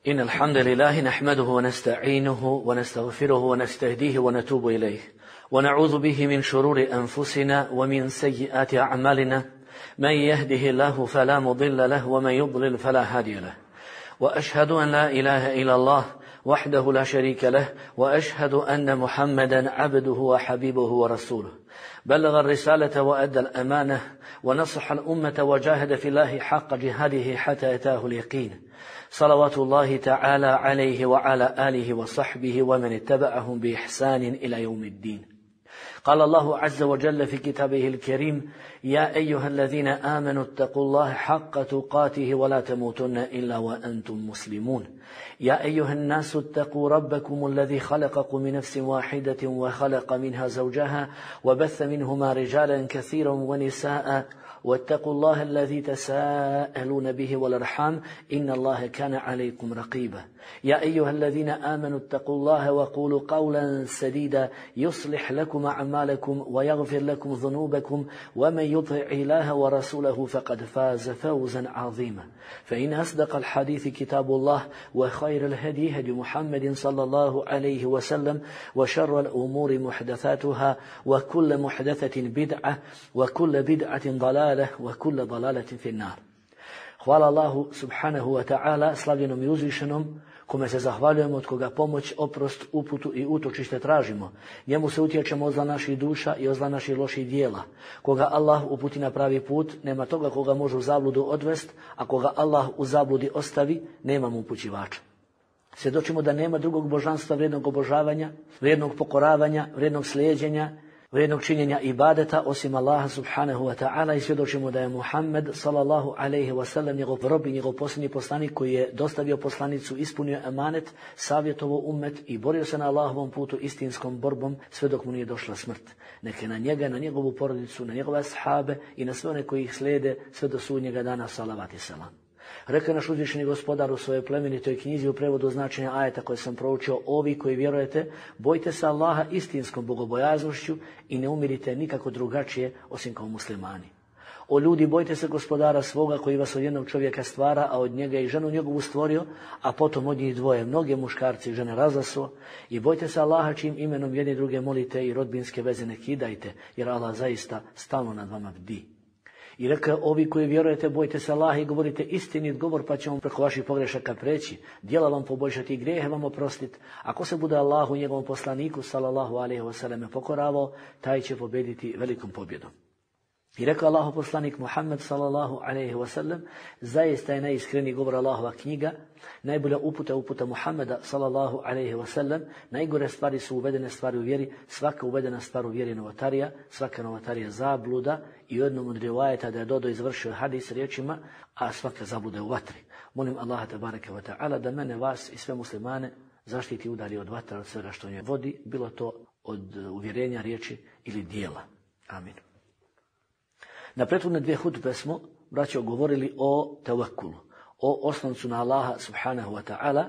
إن الحمد لله نحمده ونستعينه ونستغفره ونستهديه ونتوب إليه ونعوذ به من شرور أنفسنا ومن سيئات أعمالنا من يهده الله فلا مضل له ومن يضلل فلا هادي له وأشهد أن لا إله إلا الله وحده لا شريك له وأشهد أن محمدا عبده وحبيبه ورسوله بلغ الرسالة وأدى الأمانة ونصح الأمة وجاهد في الله حق جهاده حتى أتاه اليقين صلوات الله تعالى عليه وعلى آله وصحبه ومن اتبعهم بإحسان إلى يوم الدين. قال الله عز وجل في كتابه الكريم: يا أيها الذين آمنوا اتقوا الله حق تقاته ولا تموتن إلا وأنتم مسلمون. يا أيها الناس اتقوا ربكم الذي خلقكم من نفس واحدة وخلق منها زوجها وبث منهما رجالا كثيرا ونساء واتقوا الله الذي تساءلون به والأرحام إن الله كان عليكم رقيبا. يا أيها الذين آمنوا اتقوا الله وقولوا قولا سديدا يصلح لكم أعمالكم ويغفر لكم ذنوبكم ومن يطع الله ورسوله فقد فاز فوزا عظيما. فإن أصدق الحديث كتاب الله وخير الهدي هدي محمد صلى الله عليه وسلم وشر الأمور محدثاتها وكل محدثة بدعة وكل بدعة ضلالة وكل ضلالة في النار. Hvala Allahu subhanahu wa ta'ala, slavljenom i uzvišenom, kome se zahvaljujemo, od koga pomoć, oprost, uputu i utočište tražimo. Njemu se utječemo od zla naših duša i od zla naših loših dijela. Koga Allah uputi na pravi put, nema toga koga može u zabludu odvest, a koga Allah u zabludi ostavi, nema mu upućivača. Svjedočimo da nema drugog božanstva vrijednog obožavanja, vrijednog pokoravanja, vrijednog slijeđenja, vrijednog činjenja ibadeta osim Allaha subhanahu wa ta'ala i svjedočimo da je Muhammed sallallahu alaihi wa sallam njegov rob i njegov posljednji poslanik koji je dostavio poslanicu, ispunio emanet, savjetovo ummet i borio se na Allahovom putu istinskom borbom sve dok mu nije došla smrt. Neke na njega, na njegovu porodicu, na njegove ashabe i na sve one koji ih slijede sve do sudnjega dana, salavat i salam. Rekao naš uzvišeni gospodar u svojoj plemenitoj knjizi u prevodu značenja ajeta koje sam proučio: ovi koji vjerujete, bojte se Allaha istinskom bogobojaznošću i ne umirite nikako drugačije osim kao muslimani. O ljudi, bojte se gospodara svoga koji vas od jednog čovjeka stvara, a od njega i ženu njegovu stvorio, a potom od njih dvoje mnoge muškarci i žene razasuo. I bojte se Allaha čijim imenom jedni druge molite i rodbinske veze ne kidajte, jer Allah zaista stalno nad vama bdi. I rekao: ovi koji vjerujete, bojte se Allaha i govorite istinit govor, pa će vam preko vaših pogrešaka preći, djela vam poboljšati i grijehe vam oprostiti. Ako se bude Allahu i njegovom poslaniku sallallahu alejhi ve selleme pokoravao, taj će pobjediti velikom pobjedom. I rekao Allahu poslanik Muhammed sallallahu alejhi ve sellem: zaista je najiskreniji govor Allahova knjiga, najbolja uputa Muhammeda sallallahu alejhi ve sellem. Najgore stvari su uvedene stvari u vjeri, svaka uvedena stvar u vjeri je novotarija, svaka novotarija zabluda i u jednom od rivajeta da je dodao izvršio hadis riječima: a svaka zabluda je u vatri. Molim Allaha tebareke ve ta'ala da mene, vas i sve muslimane zaštiti i udalji od vatra, od svega što nje vodi, bilo to od uvjerenja, riječi ili dijela. Amin. Na prethodne dvije hutbe smo, braćo, govorili o tevekulu, o osloncu na Allaha subhanahu wa ta'ala.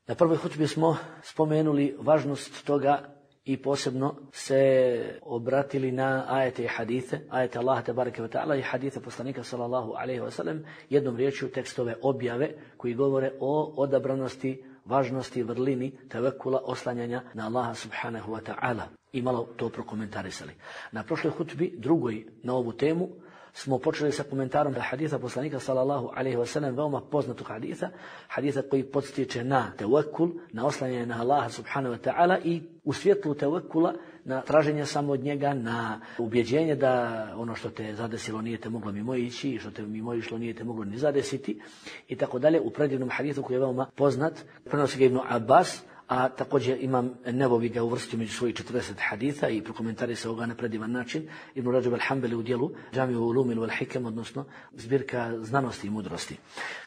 Na prvoj hutbi smo spomenuli važnost toga i posebno se obratili na ajete i hadithe, ajete Allaha tebareke ve ta'ala i hadithe poslanika sallallahu alejhi ve sellem, jednom riječju tekstove objave koji govore o odabranosti, važnosti, vrlini tevekula, oslanjanja na Allaha subhanahu wa ta'ala. I malo to prokomentarisali. Na prošloj hutbi, drugoj na ovu temu, smo počeli sa komentarom da haditha poslanika sallallahu alejhi ve sellem, veoma poznatog haditha koji podstiče na tevekul, na oslanjanje na Allaha subhanahu wa ta'ala i u svjetlu tevekula na traženje samo od njega, na ubjeđenje da ono što te zadesilo nije te moglo mimo ići i što te mimo išlo nije te moglo ni zadesiti i tako dalje. U predivnom hadithu koji je veoma poznat, prenosi ga Ibn Abbas, a također Imam Nevovi ga uvrstio među svojih 40 haditha i prokomentarisao ga na predivan način. Ibn Rajab al-Hanbali u dijelu Džamiju ulumil wal hikam, odnosno zbirka znanosti i mudrosti.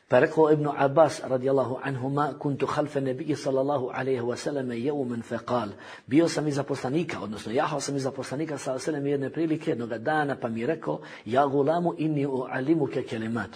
Pa rekao Ibn Abbas radijallahu anhuma: kuntu khalfa nabiyyi sallallahu alejhi ve sellem yawman faqal, bio sam iza poslanika, odnosno jahao sam iza poslanika sallallahu alejhi ve sellem jedne prilike, jednog dana, pa mi je rekao: ja gulamu inni uallimuka kalimat,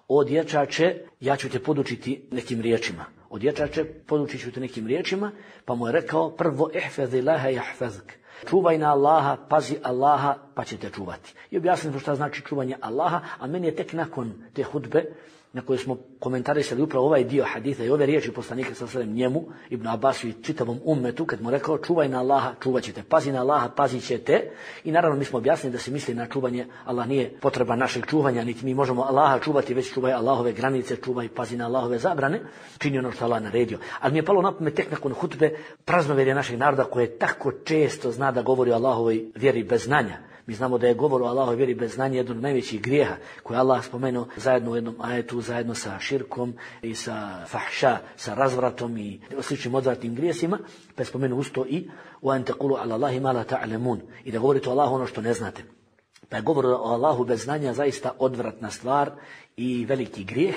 o dječače, ja ću te podučiti nekim riječima. O dječače, podučit ću te nekim riječima, pa mu je rekao: prvo ihfazillaha yahfazuk, čuvaj na Allaha, pazi Allaha, pa će te čuvati. I objasnimo šta znači čuvanje Allaha, a meni je tek nakon te hudbe na kojoj smo komentarisali upravo ovaj dio haditha i ove riječi poslanika sallallahu alejhi ve sellem njemu, Ibn Abbasu i čitavom ummetu, kad mu rekao čuvaj na Allaha, čuvat ćete, pazi na Allaha, pazit ćete. I naravno mi smo objasnili da se misli na čuvanje, Allah nije potreba našeg čuvanja, niti mi možemo Allaha čuvati, već čuvaj Allahove granice, čuvaj, pazi na Allahove zabrane, čini ono što Allah naredio. Ali mi je palo na pamet tek nakon hutbe praznovjerje našeg naroda koje tako često zna da govori o Allahovoj vjeri bez znanja. Mi znamo da je govor o Allahovoj vjeri bez znanja jedan od najvećih grijeha koje Allah spomenuo zajedno u jednom ajetu, zajedno sa širkom i sa fahša, sa razvratom i sličnim odvratnim grijesima, pa je spomenuo usto i وَأَنْ تَقُولُوا عَلَى اللَّهِ مَا لَا تَعْلَمُونَ, i da govorite o Allahu ono što ne znate. Pa je govor o Allahu bez znanja zaista odvratna stvar i veliki grijeh.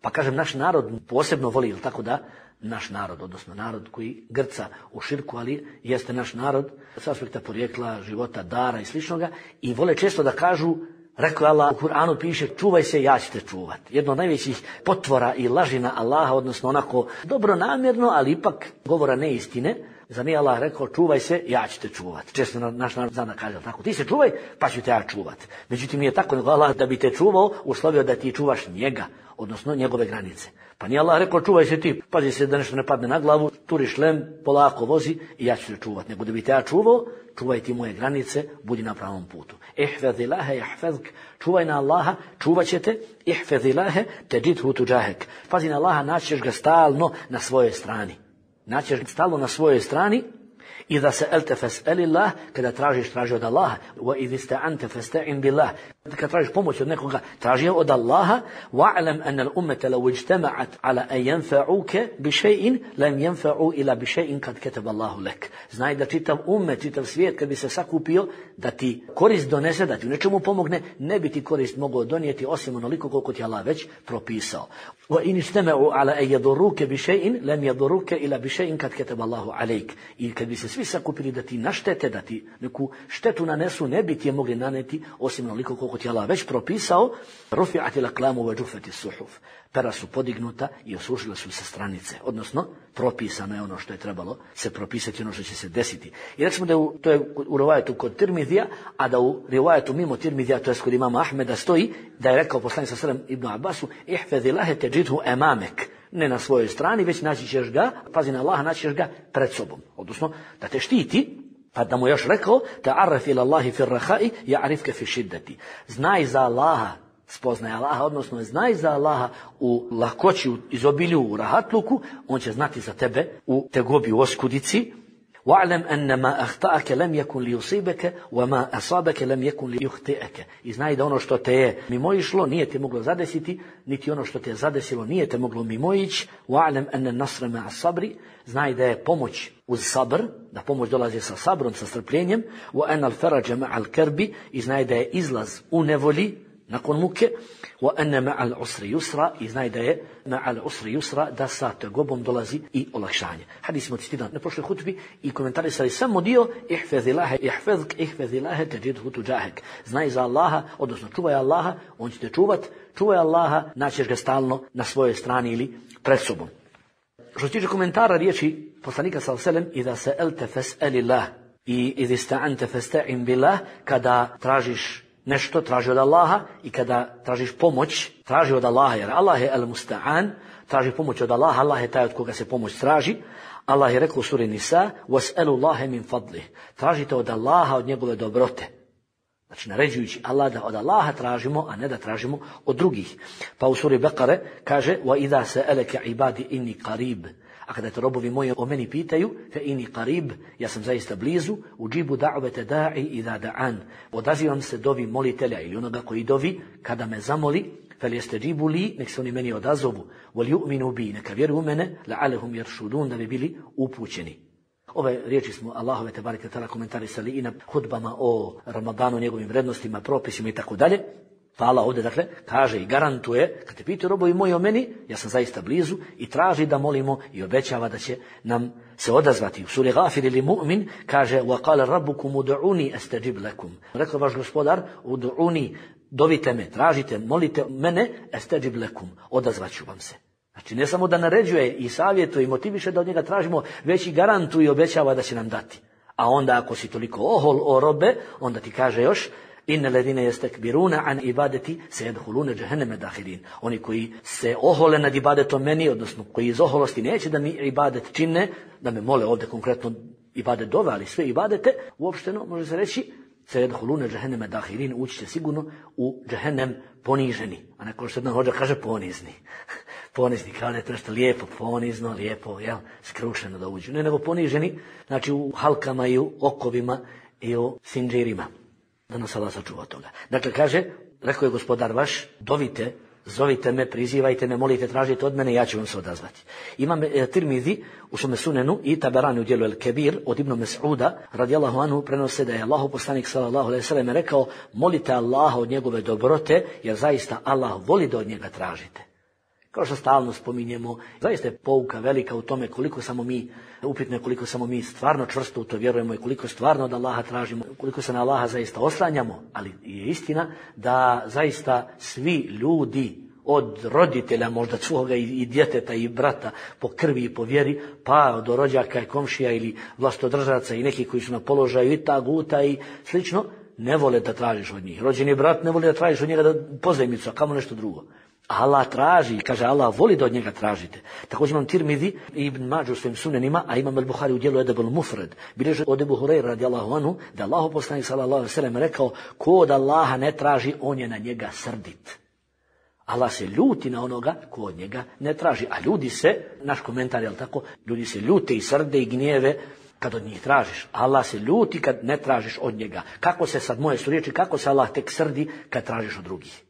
Pa kažem, naš narod posebno voli, ili tako da, naš narod, odnosno narod koji grca u širku, ali jeste naš narod s aspekta porijekla, života, dara i sličnoga, i vole često da kažu, rekao je Allah, u Kur'anu piše čuvaj se, ja ću te čuvat. Jedno od najvećih potvora i lažina Allaha, odnosno onako dobronamjerno, ali ipak govora neistine. Za nije Allah rekao čuvaj se, ja ću te čuvat. Često naš narod zna da kaže tako, ti se čuvaj, pa ću te ja čuvat. Međutim, nije tako, nego Allah da bi te čuvao, uslovio da ti čuvaš njega, odnosno njegove granice. Pa nije Allah rekao čuvaj se ti, pazi se da nešto ne padne na glavu, turiš lem, polako vozi i ja ću te čuvat. Nego da bi te ja čuvao, čuvaj ti moje granice, budi na pravom putu. Ihfazillaha yahfazuk, čuvaj na Allaha, čuvat ćete, ihfazillaha tajidhu tujahak. Pazi na Allaha, naćeš ga stalno na svojoj strani. Naćeš stalno na svojoj strani. Iza sa'alta fas'alillah, kada tražiš, traži od Allaha. Wa idh ista'anta fasta'in billah, kada tražiš pomoć od nekoga, traži od Allaha. Wa'lam anna al-ummata law ijtama'at ala an yanfa'uka bi shay'in lam yanfa'u ila bi shay'in kad kataba Allahu lak. Znaj da čitav ummet, čitav svijet kad bi se sakupio da ti korist donese, da ti u nečemu pomogne, ne bi ti korist mogao donijeti osim onoliko koliko ti Allah već propisao. Wa in ijtama'u ala an yadurruka bi shay'in lam yadurruka ila bi shay'in kad kataba Allahu alayk. I kad bi se svi sakupili da ti naštete, da ti neku štetu nanesu, ne bi ti je mogli naneti osim onoliko koliko ti Allah već propisao. Rufi'at al-aqlamu wa juffat as-suhuf. Pera su podignuta i osušile su se stranice, odnosno propisano je ono što je trebalo se propisati, ono što će se desiti. I recimo da to je u rivajetu kod Tirmidija, a da u rivajetu mimo Tirmidija, to je kod imama Ahmeda, stoji da je rekao poslanik sallallahu alejhi ve sellem Ibn Abbasu ihfazillaha tajidhu amamek. Ne na svojoj strani, već naći ćeš ga, pazi na Allaha, naći ćeš ga pred sobom. Odnosno, da te štiti, pa da mu još rekao, ta'arraf ila Allahi fi raha'i, ja'rifka fi šiddati. Znaj za Allaha, spoznaj Allaha, odnosno znaj za Allaha u lahkoći, u izobilju, u rahatluku, on će znati za tebe u tegobi, u oskudici. وَعْلَمْ أَنَّ مَا أَخْطَأَكَ لَمْ يَكُنْ لِيُصِيبَكَ وَمَا أَصَابَكَ لَمْ يَكُنْ لِيُخْطِئَكَ. I znaj da ono što te je mimoišlo nije te moglo zadesiti, niti ono što te je zadesilo nije te moglo mimoići. وَعْلَمْ أَنَّ النَّصْرَ مَعَ الصَّبْرِ. Znaj da je pomoć uz sabr, da pomoć dolazi sa sabrom, sa strpljenjem. وَأَنَّ الْفَرَجَ مَعَ الْكَرْبِ. I znaj da je izlaz u nevolji nakon muke. وَأَنَّ مَعَ الْعُسْرِ يُسْرَ. I znaj da je مَعَ الْعُسْرِ يُسْرَ, da sa tegobom dolazi i olakšanje. Hadis smo citirali na prošloj hutbi i komentarisali samo dio ihfazillaha yahfazuk, ihfazillaha tajidhu tujahak. Znaj za Allaha, odnosno čuvaj Allaha, on će te čuvat, čuvaj Allaha, naćeš ga stalno na svojoj strani ili pred sobom. Što se tiče komentara riječi poslanika sallallahu alejhi ve sellem iza sa'alta fas'alillah i idh ista'anta fasta'in billah, kada tražiš nešto, traži od Allaha, i kada tražiš pomoć, traži od Allaha, jer Allah je al-musta'an, traži pomoć od Allaha, Allah je taj od koga se pomoć traži. Allah je rekao u suri Nisa, وَاسْأَلُوا اللَّهَ مِنْ فَضْلِهِ. Tražite od Allaha, od njegove dobrote. Znači, naređujući Allah da od Allaha tražimo, a ne da tražimo od drugih. Pa u suri Bekare kaže, وَإِذَا سَأَلَكَ عِبَادِ إِنِّي قَرِيبٌ. A kada te robovi moji o meni pitaju, fe ini qarib, ja sam zaista blizu, uđibu da'vete da'i idha da'an. Odazivam se dovi molitelja ili onoga koji dovi kada me zamoli, fel jeste džibu li, nek se oni meni odazovu, vol ju'minu bi, neka vjeruju u mene, la'alehum jeršudun, da bi bili upućeni. Ove riječi smo Allahove tebareke ta'ala komentarisali i na hudbama o Ramadanu, njegovim vrednostima, propisima i tako dalje. Pa Allah ovdje, dakle, kaže i garantuje, kad te pitaju robovi moji o meni, ja sam zaista blizu, i traži da molimo i obećava da će nam se odazvati. U suri Ghafir ili Mu'min kaže وَقَالَ رَبُّكُمُ udu'uni astajib lakum. Rekao vaš gospodar, udu'uni, dovite me, tražite, molite mene, astajib lakum, odazvaću vam se. Znači, ne samo da naređuje i savjetuje i motiviše da od njega tražimo, već i garantuje i obećava da će nam dati. A onda ako si toliko ohol o robe, onda ti kaže još Inna ladine yastakbiruna an ibadati sayadkhuluna jahannama dakhirin. Oni koji se ohole nad ibadetom meni, odnosno koji iz oholosti neće da mi ibadet čine, da me mole ovdje konkretno ibadet dove, ali sve ibadete, uopšteno može se reći sayadkhuluna jahannama dakhirin, ući će sigurno u džehennem poniženi. A neko što jedan hođa kaže ponizni. Ponizni, kao da je to nešto lijepo, ponizno, lijepo, jel, skrušeno da uđu. Ne nego poniženi, znači u halkama i u okovima i u sinđirima. Da nas Allah sačuva od toga. Dakle, kaže, rekao je gospodar vaš, dovite, zovite me, prizivajte me, molite, tražite od mene, ja ću vam se odazvati. Imam Tirmizi u svome sunenu i Taberani u dijelu El Kebir od Ibn Mas'uda, radijallahu anhu, prenose da je Allahu poslanik sallallahu alejhi ve sellem rekao, molite Allaha od njegove dobrote, jer zaista Allah voli da od njega tražite. Kao što stalno spominjemo, zaista je pouka velika u tome koliko samo mi, upitno je koliko samo mi stvarno čvrsto u to vjerujemo i koliko stvarno od Allaha tražimo, koliko se na Allaha zaista oslanjamo, ali je istina da zaista svi ljudi, od roditelja, možda svoga i djeteta i brata po krvi i po vjeri, pa do rođaka i komšija ili vlastodržaca i neki koji su na položaju i taguta i slično, ne vole da tražiš od njih. Rođeni brat ne voli da tražiš od njega da pozajmicu, a kamo nešto drugo. Allah traži, kaže Allah voli da od njega tražite. Također imam Tirmizi i Ibn Mađu u svojim sunenima, a imam Al-Buhari u dijelu Edeb al-Mufred. Bileže od Ebu Hureyra radijallahu anhu, da Allahu poslanik sallallahu alejhi ve sellem rekao, ko od Allaha ne traži, on je na njega srdit. Allah se ljuti na onoga ko od njega ne traži. A ljudi se, naš komentar je tako, ljudi se ljute i srde i gnjeve kad od njih tražiš. Allah se ljuti kad ne tražiš od njega. Kako se sad, moje su riječi, kako se Allah tek srdi kad tražiš od drugih.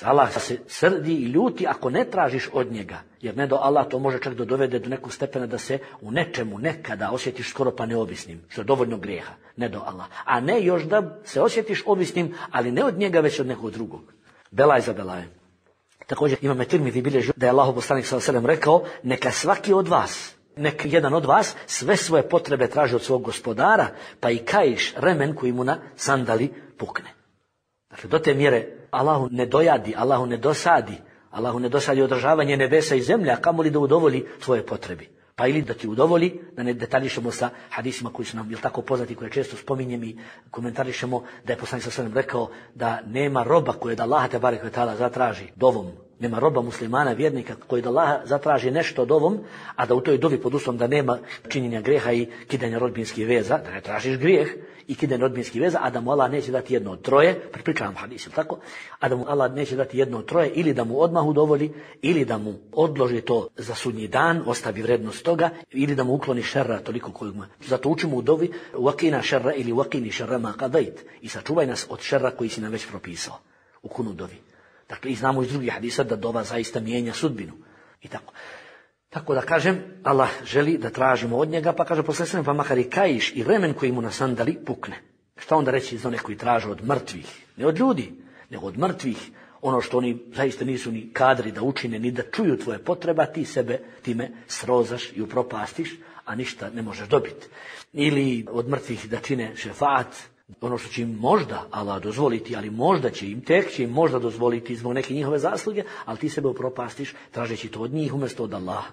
Allah se srdi i ljuti ako ne tražiš od njega, jer ne do Allah to može čak da dovede do nekog stepena da se u nečemu nekada osjetiš skoro pa neovisnim, što je dovoljno grijeha, ne do Allah. A ne još da se osjetiš ovisnim, ali ne od njega, već od nekog drugog. Belaj za belajem. Također imam Tirmizi bilježi da je Allahu poslanik sallallahu alejhi ve sellem rekao, neka svaki od vas, neka jedan od vas sve svoje potrebe traži od svog gospodara, pa i kaiš remen koji mu na sandali pukne. Dakle, do te mjere Allahu ne dojadi, Allahu ne dosadi održavanje nebesa i zemlje, a kamoli da udovolji tvoje potrebi. Pa ili da ti udovolji, da ne detaljišemo sa hadisima koji su nam tako poznati, koje često spominjem i komentarišemo, da je poslanik sallallahu alejhi ve sellem rekao da nema roba koje da Allah te barek ve taala zatraži dovom. Nema roba muslimana, vjernika koji da Allah zatraži nešto dovom, a da u toj dovi pod uslovom da nema činjenja grijeha i kidanja rodbinskih veza, da ne tražiš grijeh i kidanje rodbinskih veza, a da mu Allah neće dati jedno od troje, prepričavam hadis, tako? A da mu Allah neće dati jedno od troje, ili da mu odmah udovolji, ili da mu odloži to za sudnji dan, ostavi vrednost toga, ili da mu ukloni šerra toliko koliko mu. Zato učimo u dovi wakina šerra ili wakini šerra ma qadait, i sačuvaj nas od šerra koji si nam već propisao u kunu dovi. Dakle, i znamo iz drugih hadisa da dova zaista mijenja sudbinu. I tako. Tako da kažem, Allah želi da tražimo od njega, pa kaže poslije pa makar i kaiš i remen koji mu na sandali pukne. Šta onda reći za one koji traže od mrtvih? Ne od ljudi, nego od mrtvih. Ono što oni zaista nisu ni kadri da učine, ni da čuju tvoje potreba, ti sebe time srozaš i upropastiš, a ništa ne možeš dobiti. Ili od mrtvih da čine šefaat, ono što će im možda Allah dozvoliti, ali možda će im možda dozvoliti zbog neke njihove zasluge, ali ti sebe upropastiš tražeći to od njih umjesto od Allaha.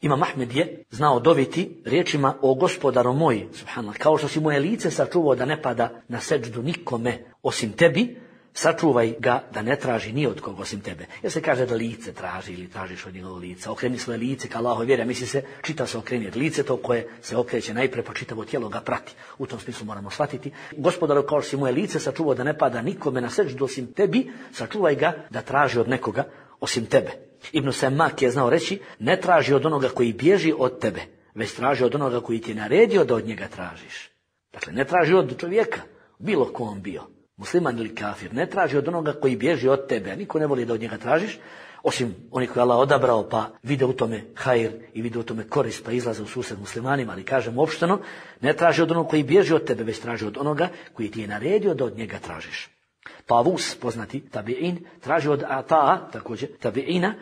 Imam Ahmed je znao doviti riječima o gospodaru moj, subhanallah, kao što si moje lice sačuvao da ne pada na seđdu nikome osim tebi, sačuvaj ga da ne traži ni od koga osim tebe. Jer se kaže da lice traži ili tražiš od njegovog lica. Okreni svoje lice ka Allahove vjere, misli se čita se okreni. Lice to koje se okreće najpre, pa čitavo tijelo ga prati. U tom smislu moramo shvatiti. Gospodaru, kao što si moje lice sačuvao da ne pada nikome na seđdu osim tebi, sačuvaj ga da traži od nekoga osim tebe. Ibn Semak je znao reći, ne traži od onoga koji bježi od tebe, već traži od onoga koji ti je naredio da od njega tražiš. Dakle, ne traži od čovjeka, bilo ko on bio, musliman ili kafir, ne traži od onoga koji bježi od tebe, a niko ne voli da od njega tražiš, osim onih koji je Allah odabrao pa vide u tome hajr i vide u tome korist pa izlaze u susret muslimanima, ali kažem opšteno, ne traži od onoga koji bježi od tebe, već traži od onoga koji ti je naredio da od njega tražiš. Tavus, poznati tabi'in, traži od Ata'a, također tabi'ina,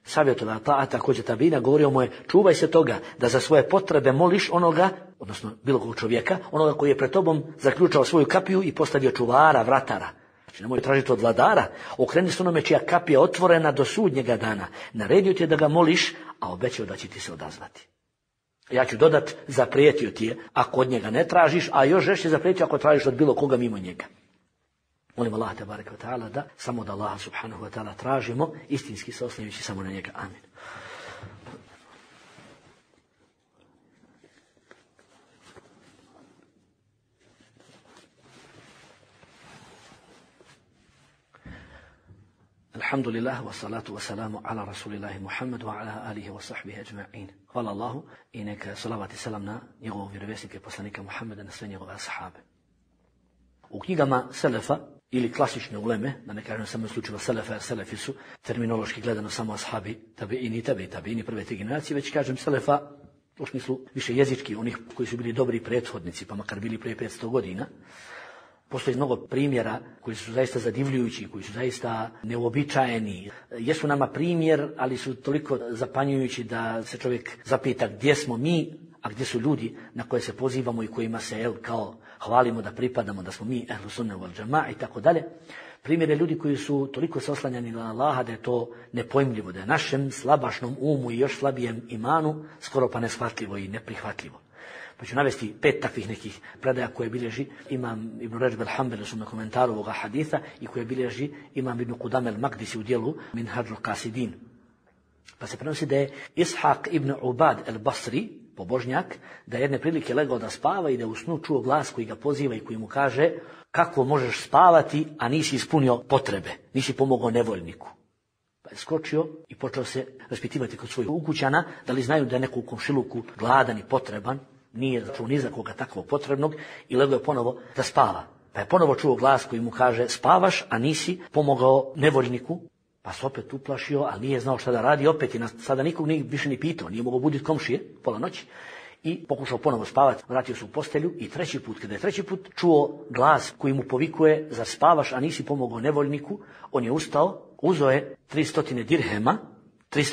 savjet od Ata'a, također tabi'ina, govorio mu je, čuvaj se toga da za svoje potrebe moliš onoga, odnosno bilo kog čovjeka, onoga koji je pred tobom zaključao svoju kapiju i postavio čuvara, vratara. Znači nemoj tražiti od vladara, okreni se onome čija kapija otvorena do sudnjega dana. Naredio ti je da ga moliš, a obećao da će ti se odazvati. Ja ću dodat, zaprijetio ti je ako od njega ne tražiš, a još žešće zaprijetio ako tražiš od bilo koga mimo njega. Molim Allah tebareke ve ta'ala da samo od Allaha subhanahu wa ta'ala tražimo, istinski se oslanjajući samo na njega. Amin. Alhamdulillah, wa salatu wa salamu ala rasulillahi Muhammedu wa ala alihi wa sahbihi ajma'in. Hvala Allahu i neka salavat i salam na njegovog vjerovjesnika i poslanika Muhammeda, na sve njegove ashabe. U knjigama Selefa ili klasične uleme, da ne kažem samo slučajeva Selefa, jer Selefi su terminološki gledano samo ashabi, tabiini prve te generacije, već kažem Selefa u smislu više jezički, onih koji su bili dobri prethodnici, pa makar bili prije 500 godina. Postoji mnogo primjera koji su zaista zadivljujući, koji su zaista neuobičajeni. Jesu nama primjer, ali su toliko zapanjujući da se čovjek zapita gdje smo mi, a gdje su ljudi na koje se pozivamo i kojima se kao hvalimo da pripadamo, da smo mi ehlu sunne wal džema'a i tako dalje. Primjer je ljudi koji su toliko se oslanjani na Allaha da je to nepojmljivo, da je našem slabašnom umu i još slabijem imanu skoro pa neshvatljivo i neprihvatljivo. Pa ću navesti 5 takvih nekih predaja koje bilježi imam Ibn Rajab al-Hanbali u svom komentaru ovoga haditha i koje bilježi imam Ibn Qudame al-Maqdisi u dijelu Minhadžul Qasidin. Pa se prenosi da je Ishaq ibn Ubad al-Basri, pobožnjak, da je jedne prilike legao da spava i da u snu čuo glas koji ga poziva i koji mu kaže: kako možeš spavati, a nisi ispunio potrebe, nisi pomogao nevoljniku. Pa je skočio i počeo se raspitivati kod svojih ukućana da li znaju da je neko u komšiluku gladan i potreban, nije čuo ni za koga takvog potrebnog i legao je ponovo da spava. Pa je ponovo čuo glas koji mu kaže: spavaš, a nisi pomogao nevoljniku. Pa se opet uplašio, ali nije znao šta da radi, opet i sada nikog nije više ni pitao, nije mogao buditi komšije pola noći i pokušao ponovo spavati, vratio se u postelju i treći put, kada je treći put čuo glas koji mu povikuje: zar spavaš, a nisi pomogao nevoljniku, on je ustao, uzeo je 300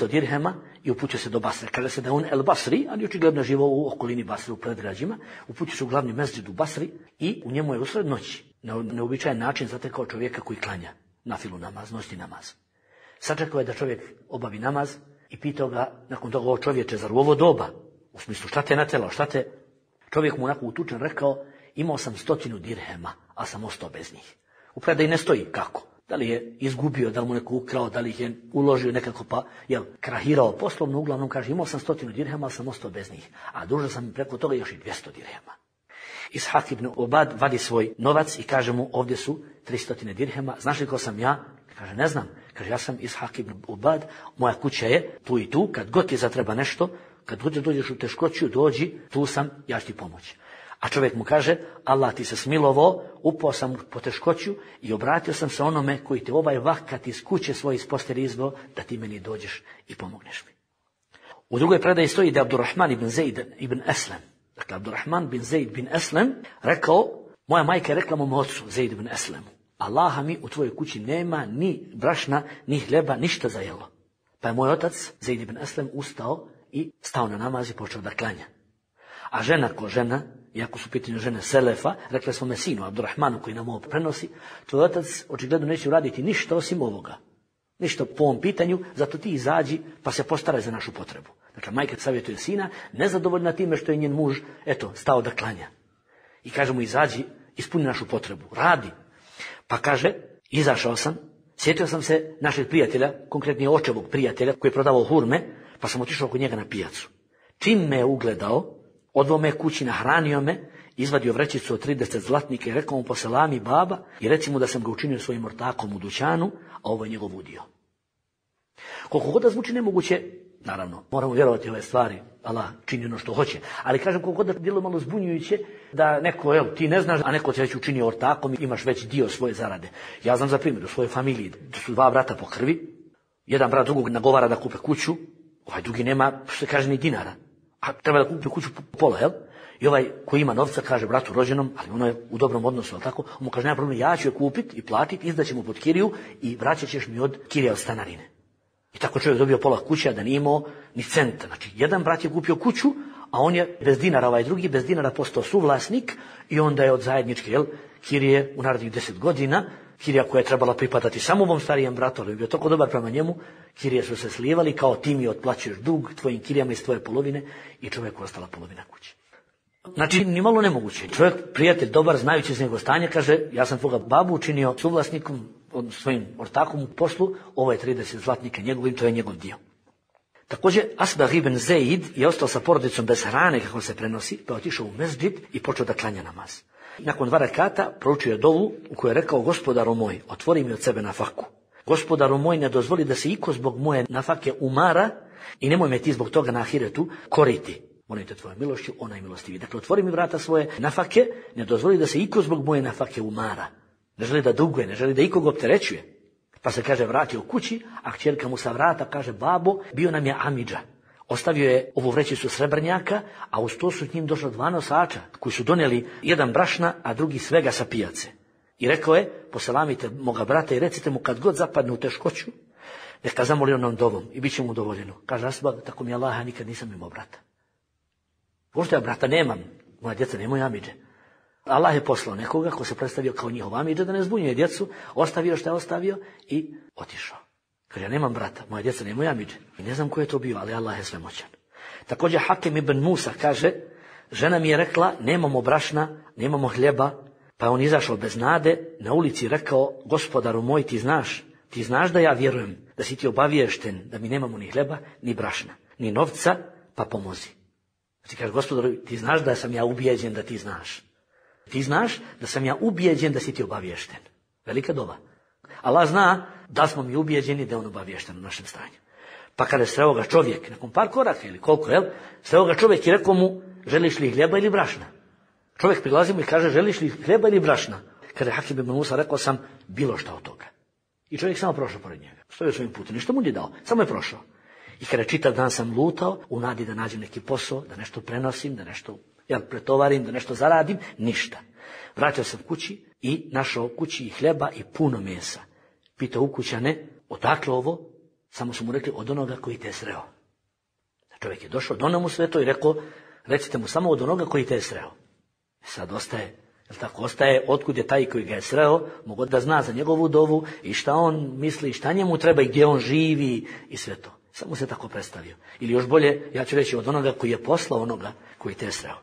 dirhema i uputio se do Basre. Kaže se da on El Basri, ali očigledno živao u okolini Basre, u predgrađima, uputio se u glavni mezđid u Basri i u njemu je usred noći na neobičajen način zatekao čovjeka koji klanja nafilu namaz, noćni namaz. Sačekao je da čovjek obavi namaz i pitao ga nakon toga: o čovječe, zar u ovo doba? U smislu, šta te natjeralo, šta te? Čovjek mu onako utučen rekao: imao sam 100 dirhema, a sam ostao bez njih. U predaji ne stoji kako. Da li je izgubio, da li mu neko ukrao, da li ih je uložio nekako pa krahirao poslovno, uglavnom kaže: imao sam 100 dirhema, ali sam ostao bez njih. A dužan sam preko toga još i 200 dirhema. Ishaq ibn Ubad vadi svoj novac i kaže mu: ovdje su 300 dirhema, znaš li ko sam ja? Kaže: ne znam. Kaže: ja sam Ishaq ibn Ubad, moja kuća je tu i tu, kad god ti zatreba nešto, kad god dođeš u teškoću, dođi, tu sam, ja ću ti pomoći. A čovjek mu kaže: Allah ti se smilovao, upao sam po teškoću i obratio sam se onome koji te ovaj vakat iz kuće svoje iz postelje izveo, da ti meni dođeš i pomogneš mi. U drugoj predaji stoji da je Abdurrahman ibn Zaid ibn Aslam, dakle Abdurrahman bin Zaid bin Aslam, rekao: moja majka je rekla mom ocu Zaid ibn Aslamu: Allaha mi u tvojoj kući nema ni brašna, ni hljeba, ništa za jelo. Pa je moj otac Zaid ibn Aslam ustao i stao na namaz i počeo da klanja. A žena ko žena, iako su pitanje žene Selefa, rekla svome sinu Abdurrahmanu koji nam ovo prenosi: tvoj otac očigledno neće uraditi ništa osim ovoga. Ništa po ovom pitanju, zato ti izađi pa se postaraj za našu potrebu. Dakle, majka savjetuje sina, nezadovoljna time što je njen muž, stao da klanja. I kaže mu: izađi, ispuni našu potrebu, radi. Pa kaže: izašao sam, sjetio sam se našeg prijatelja, konkretnije očevog prijatelja koji je prodavao hurme, pa sam otišao kod njega na pijacu. Čim me je ugledao, odveo me kući, nahranio me, izvadio vrećicu od 30 zlatnika i rekao mu: poselami baba i reci mu da sam ga učinio svojim ortakom u dućanu, a ovo je njegov udio. Koliko god da zvuči nemoguće, naravno, moramo vjerovati ove stvari, Allah čini ono što hoće, ali kažem, koliko god da djeluje malo zbunjujuće, da neko, ti ne znaš, a neko te već učinio ortakom i imaš već dio svoje zarade. Ja znam za primjer u svojoj familiji, da su 2 brata po krvi, jedan brat drugog nagovara da kupe kuću, ovaj drugi nema, što se kaže, ni dinara, a treba da kupi kuću po pola, I ovaj koji ima novca kaže bratu rođenom, ali ono je u dobrom odnosu, ali tako, on mu kaže: nema problem, ja ću je kupiti i platiti, izdaćemo pod kiriju i vraćat ćeš mi od kirija od stanarine. I tako čovjek dobio pola kuće, a da nije imao ni centa. Znači, jedan brat je kupio kuću, a on je bez dinara, ovaj drugi bez dinara postao suvlasnik i onda je od zajedničke kirije u narednih 10 godina, kirija koja je trebala pripadati samo ovom starijem bratu, ali je bio toliko dobar prema njemu, kirije su se slivali kao ti mi otplaćuješ dug tvojim kirijama iz tvoje polovine i čovjeku ostala polovina kuće. Znači, ni malo nemoguće. Čovjek, prijatelj, dobar, znajući iz njegovo stanje, kaže, ja sam tvoga babu učinio suvlasnikom, svojim ortakom u poslu, ovo je 30 zlatnika njegovim, to je njegov dio. Također, Asbagh ibn Zaid je ostao sa porodicom bez hrane, kako se prenosi, pa je otišao u mezđid i počeo da klanja namaz. Nakon 2 rekata proučio je dovu u kojoj je rekao: Gospodaru moj, otvori mi od sebe nafaku. Gospodaru moj, ne dozvoli da se iko zbog moje nafake umara i nemoj me ti zbog toga na ahiretu koriti. Molim te tvojom milošću, ona je milostivi. Dakle, otvori mi vrata svoje nafake, ne dozvoli da se iko zbog moje nafake umara. Ne želi da duguje, ne želi da ikog opterećuje. Pa se, kaže, vratio kući, a kćerka mu sa vrata kaže: babo, bio nam je amidža. Ostavio je ovu vrećicu srebrnjaka, a uz to su k njim došla 2 nosača, koji su donijeli jedan brašna, a drugi svega sa pijace. I rekao je: poselamite moga brata i recite mu kad god zapadne u teškoću, neka zamoli onom dovom i bit će mu udovoljeno. Kaže Asbagh: tako mi Allah, ja nikad nisam imao brata. Pošto ja brata nemam, moja djeca nemaju amidže. Allah je poslao nekoga ko se predstavio kao njihov amidža da ne zbunjuje djecu, ostavio što je ostavio i otišao. Kaže: ja nemam brata, moja djeca nemaju amidže. I ne znam ko je to bio, ali Allah je svemoćan. Također Hakim ibn Musa kaže: žena mi je rekla: nemamo brašna, nemamo hljeba, pa je on izašao bez nade, na ulici rekao: gospodaru moj, ti znaš da ja vjerujem, da si ti obaviješten da mi nemamo ni hljeba, ni brašna, ni novca, pa pomozi. Znači kaže: gospodaru, ti znaš da sam ja ubijeđen da ti znaš. Ti znaš da sam ja ubijeđen da si ti obaviješten. Velika dova. Allah zna da smo mi ubijeđeni da je on obaviješten u našem stanju. Pa kada je sreo ga čovjek, nakon par koraka ili koliko, sreo ga čovjek i rekao mu: želiš li hljeba ili brašna? Čovjek prilazi mu i kaže: želiš li hljeba ili brašna? Kada je Hakim ibn Musa rekao: sam bilo šta od toga. I čovjek samo prošao pored njega. Stojio svojim putem, ništa mu nije dao, samo je prošao. I kada čitav dan sam lutao, u nadi da nađem neki posao, da nešto prenosim, da nešto pretovarim, da nešto zaradim, ništa. Vratio sam kući i našao kući i hljeba i puno mesa. Pitao ukućane: odakle ovo? Samo su mu rekli: od onoga koji te je sreo. Čovjek je došao, donio mu sve to i rekao: recite mu samo od onoga koji te je sreo. Sad ostaje, otkud je taj koji ga je sreo, mogo da zna za njegovu dovu i šta on misli, šta njemu treba i gdje on živi i sve to. Samo se tako predstavio. Ili još bolje, ja ću reći, od onoga koji je poslao onoga koji te je sreo.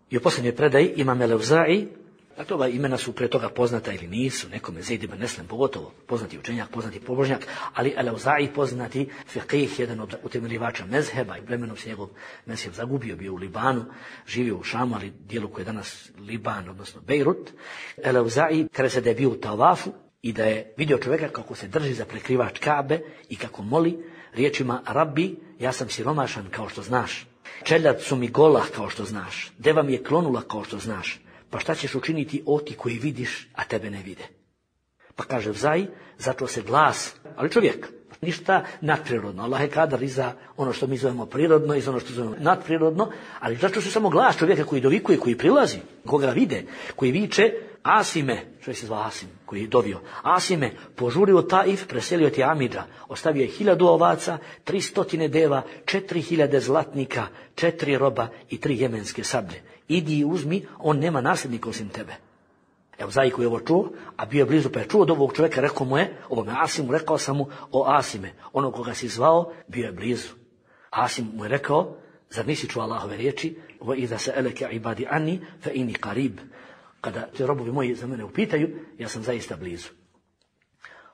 I u posljednjoj predaji Imam el-Evza'i, dakle ova imena su prije toga poznata ili nisu, nekome Zaid ibn Eslem pogotovo, poznati učenjak, poznati pobožnjak, ali el-Evza'i poznati fiqih, jedan od utemeljivača mezheba, i vremenom se njegov mezheb zagubio, bio u Libanu, živio u Šamu, ali dijelu koje je danas Liban, odnosno Bejrut. El-Evza'i, kada se da je bio u tavafu i da je vidio čovjeka kako se drži za prekrivač Kabe i kako moli riječima: Rabbi, ja sam siromašan kao što znaš. Čeljad su mi gola kao što znaš. Deva mi je klonula kao što znaš. Pa šta ćeš učiniti ti koji vidiš, a tebe ne vide? Pa kaže Evza'i, začuo se glas, ali čovjek, ništa nadprirodno. Allah je kadar i za ono što mi zovemo prirodno i za ono što zovemo nadprirodno, ali začuo se samo glas čovjeka koji dovikuje, koji prilazi, koga vide, koji viče: Asime, čovjek se zvao Asim, koji je dovio: Asime, požuri u Taif, preselio ti amidža, ostavio je 1000 ovaca, 300 deva, 4000 zlatnika, 4 roba i 3 jemenske sablje. Idi i uzmi, on nema nasljednika osim tebe. Evza'i koji je ovo čuo, a bio je blizu, pa je čuo od ovog čovjeka, rekao mu je, ovome Asimu, rekao sam mu: o Asime, ono koga si zvao, bio je blizu. Asim mu je rekao: zar nisi čuo Allahove riječi: wa iza sa'alaka ibadi anni fa inni qarib. Kada te robovi moji za mene upitaju, ja sam zaista blizu.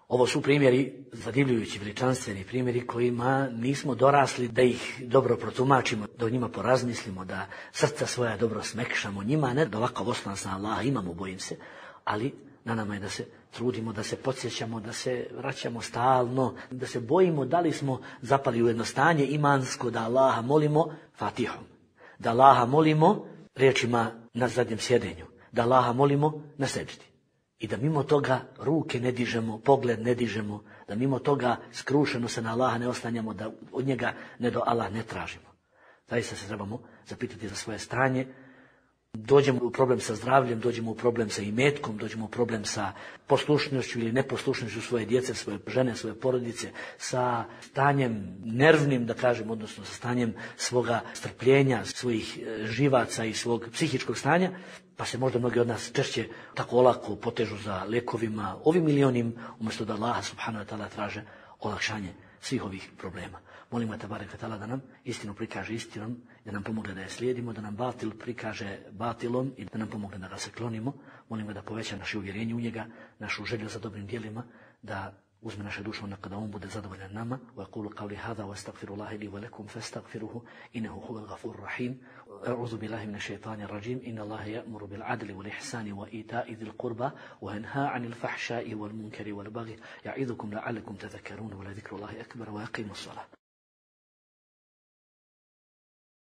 Ovo su primjeri, zadivljujući, veličanstveni primjeri kojima nismo dorasli da ih dobro protumačimo, da o njima porazmislimo, da srca svoja dobro smekšamo njima, ne da ovakav oslonac na Allaha imamo, bojim se, ali na nama je da se trudimo, da se podsjećamo, da se vraćamo stalno, da se bojimo da li smo zapali u jedno stanje imansko, da Allaha molimo Fatihom, da Allaha molimo riječima na zadnjem sjedenju, da Allaha molimo na seđdi. I da mimo toga ruke ne dižemo, pogled ne dižemo, da mimo toga skrušeno se na Allaha ne oslanjamo, da od njega ne do Allah ne tražimo. Zaista se trebamo zapitati za svoje stanje. Dođemo u problem sa zdravljem, dođemo u problem sa imetkom, dođemo u problem sa poslušnošću ili neposlušnošću svoje djece, svoje žene, svoje porodice, sa stanjem nervnim, da kažem, odnosno sa stanjem svoga strpljenja, svojih živaca i svog psihičkog stanja, pa se možda mnogi od nas češće tako olako potežu za lekovima, ovim ili onim, umjesto da Allah subhanahu wa ta'ala traže olakšanje svih ovih problema. Molimo Tebareke ve Teala da nam istinu prikaže istinom, da nam pomogne da je slijedimo, da nam batil prikaže batilom i da nam pomogne da ga se klonimo. Molimo da poveća naše uvjerenje u njega, našu želju za dobrim djelima, da uzme naše duše kada on bude zadovoljan nama. Wa aqulu qawli hadha wa astaghfirullaha li wa lakum fastaghfiruhu innahu huwal ghafurur rahim. A'udhu billahi minash shaitanir rajim. Inna Allaha ya'muru bil 'adli wal ihsani wa ita'i dhil qurba wa yanha 'anil fahsha'i wal munkari wal baghi. Ya'idhukum la'allakum tadhakkarun wa la dhikrullahi akbar wa aqimus salah.